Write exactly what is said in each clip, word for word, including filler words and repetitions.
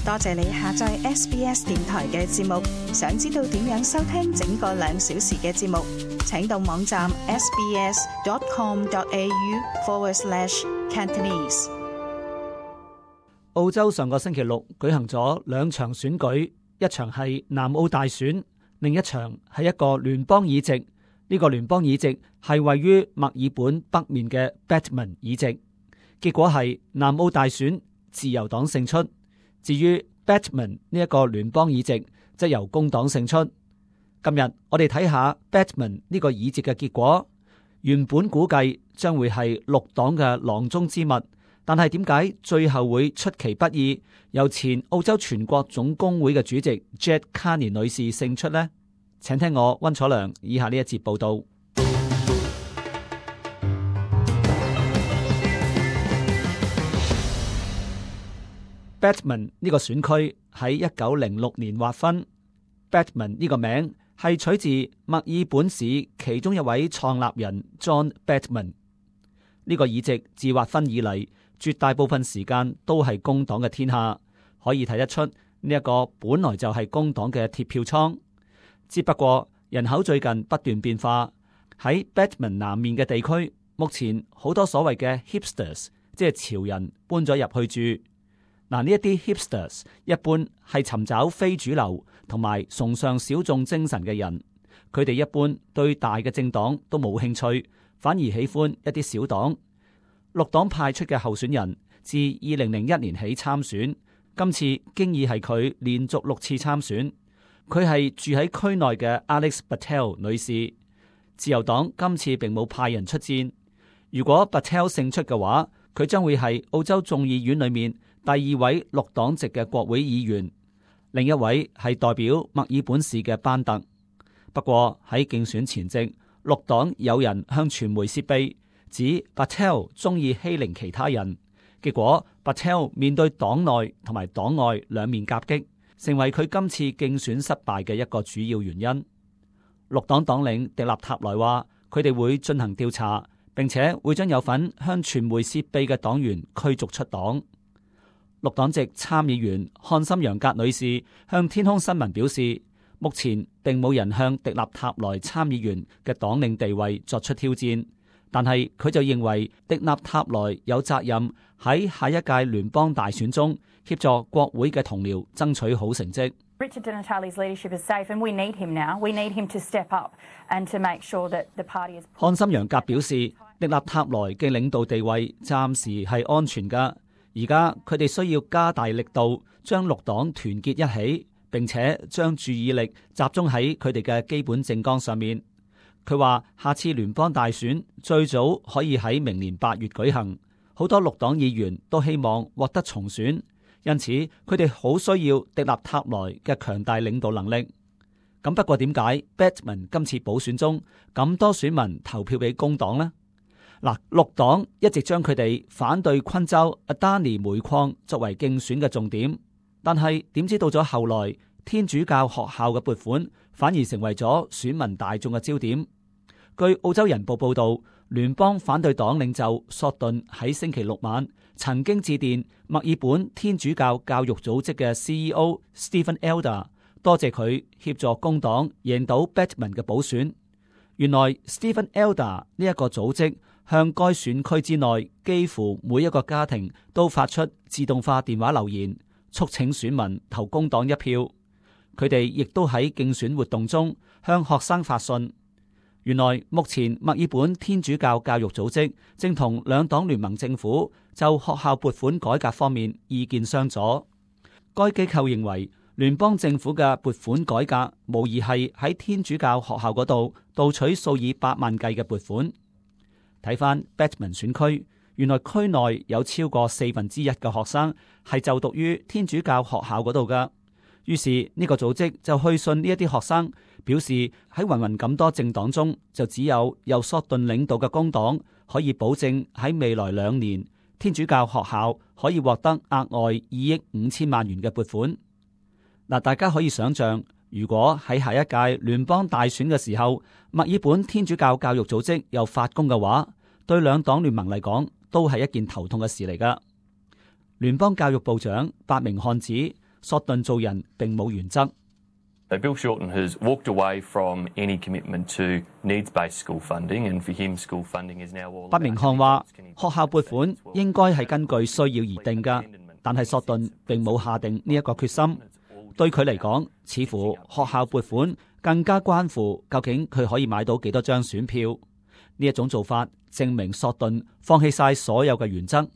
多謝你下載 S B S 電台嘅節目。想知道點樣收聽整個兩小時嘅節目，請到網站 sbs.com.au forward slash Cantonese。澳洲上個星期六舉行咗兩場選舉，一場係南澳大選，另一場係一個聯邦議席。呢個聯邦議席係位於墨爾本北面嘅 Batman 議席。結果係南澳大選自由黨勝出。至於 Batman 呢一個聯邦議席，則由工黨勝出。今日我哋睇下 Batman 呢個議席嘅結果。原本估計將會係綠黨嘅囊中之物，但係點解最後會出其不意由前澳洲全國總工會嘅主席 Jett Carney 女士勝出呢？請聽我溫楚良以下呢一節報道。Batman 呢個選區喺一九零六年劃分。Batman 呢個名係取自墨爾本市其中一位創立人 John Batman。呢個議席自劃分以嚟，絕大部分時間都係工黨嘅天下，可以睇得出呢一個本來就係工黨嘅鐵票倉。只不過人口最近不斷變化，喺 Batman 南面嘅地區，目前好多所謂嘅 hipsters， 即係潮人搬咗入去住。嗱，呢一啲 hipsters 一般係尋找非主流同埋崇尚小眾精神嘅人，佢哋一般對大嘅政黨都冇興趣，反而喜歡一啲小黨。綠黨派出嘅候選人自二零零一年起參選，今次經已係佢連續六次參選。佢係住喺區內嘅 Alex Patel 女士。自由黨今次並冇派人出戰。如果 Patel 勝出嘅話，佢將會係澳洲眾議院裏面第二位綠黨籍嘅國會議員，另一位係代表墨爾本市嘅班特。不過喺競選前夕，綠黨有人向傳媒泄秘，指 Patel 中意欺凌其他人，結果 Patel 面對黨內同埋黨外兩面夾擊，成為佢今次競選失敗嘅一個主要原因。綠黨黨領迪納塔萊話，佢哋會進行調查，並且會將有份向傳媒泄秘嘅黨員驅逐出黨。綠黨籍參議員漢森楊格女士向天空新聞表示，目前並冇人向迪納塔萊參議員嘅黨領地位作出挑戰，但係佢就認為迪納塔萊有責任喺下一屆聯邦大選中協助國會嘅同僚爭取好成績。Richard Di Natale's leadership is safe, and we need him now. We need him to step up and to make sure that the party is. 漢森楊格表示，迪納塔萊嘅領導地位暫時係安全㗎。而家佢哋需要加大力度，將綠黨團結一起，並且將注意力集中喺佢哋嘅基本政綱上面。佢話下次聯邦大選最早可以喺明年八月舉行，好多綠黨議員都希望獲得重選，因此佢哋好需要迪納塔萊嘅強大領導能力。咁不過點解 Batman 今次補選中咁多選民投票俾工黨呢？嗱，綠黨一直將佢哋反對昆州 Adani 煤礦作為競選嘅重點，但係點知到咗後來，天主教學校嘅撥款反而成為咗選民大眾嘅焦點。據澳洲人報報道，聯邦反對黨領袖索頓喺星期六晚曾經致電墨爾本天主教教育組織嘅 C E O Stephen Elder， 多謝佢協助工黨贏到 Batman 嘅補選。原來 Stephen Elder 呢一個組織向該選區之內幾乎每一個家庭都發出自動化電話留言，促請選民投工黨一票。佢哋亦都喺競選活動中向學生發信。原來目前墨爾本天主教教育組織正同兩黨聯盟政府就學校撥款改革方面意見相左。該機構認為聯邦政府嘅撥款改革無疑係喺天主教學校嗰度盜取數以百萬計嘅撥款。睇翻 Batman 選區，原來區內有超過四分之一嘅學生係就讀於天主教學校嗰度噶。於是呢個組織就去信呢一啲學生，表示喺芸芸咁多政黨中，就只有由索頓領導嘅工黨可以保證喺未來兩年天主教學校可以獲得額外二億五千萬元嘅撥款。嗱，大家可以想象，如果喺下一屆聯邦大選嘅時候，墨爾本天主教教育組織又發功嘅話，對兩黨聯盟嚟講都係一件頭痛嘅事嚟噶。聯邦教育部長伯明翰指，索頓做人並冇原則。Bill Shorten has walked away from any commitment to needs-based school funding, and for him, school funding is now all. 伯明翰話學校撥款應該係根據需要而定㗎，但係索頓並冇下定呢一個決心。對佢嚟講，似乎學校撥款更加關乎究竟佢可以買到幾多張選票。呢一種做法證明索頓放棄晒所有嘅原則，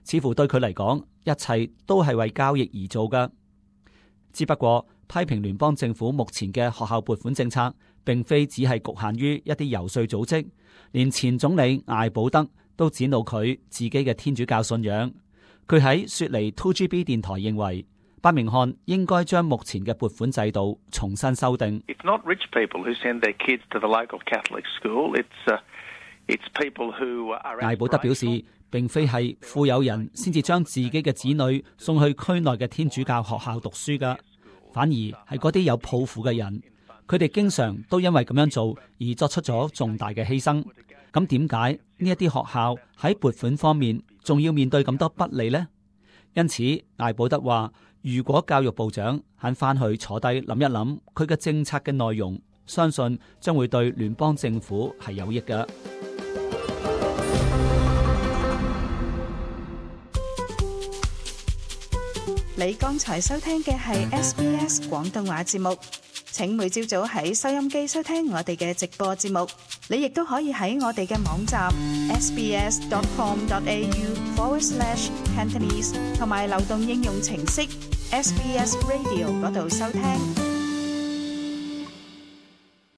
似乎對佢嚟講，一切都係為交易而做㗎。只不過批評聯邦政府目前嘅學校撥款政策，並非只係局限於一啲遊說組織，連前總理艾保德都展露佢自己嘅天主教信仰。佢喺雪梨 two G B 電台認為，伯明翰應該將目前嘅撥款制度重新修訂。It's not rich people who send their kids to the local Catholic school. It's, uh, it's people who are... 艾保德表示，並非係富有人先至將自己嘅子女送去區內嘅天主教學校讀書㗎。反而係嗰啲有抱負嘅人，佢哋經常都因為咁樣做而作出咗重大嘅犧牲。咁點解呢一啲學校喺撥款方面仲要面對咁多不利呢？因此，艾保德話，如果教育部長肯翻去坐低諗一諗佢嘅政策嘅內容，相信將會對聯邦政府係有益嘅。你剛才收聽嘅係 S B S 廣東話節目，請每朝早喺收音機收聽我哋嘅直播節目。你亦都可以喺我哋嘅網站 sbs.com.au forward slash Cantonese 同埋流動應用程式 S B S Radio 嗰度收聽。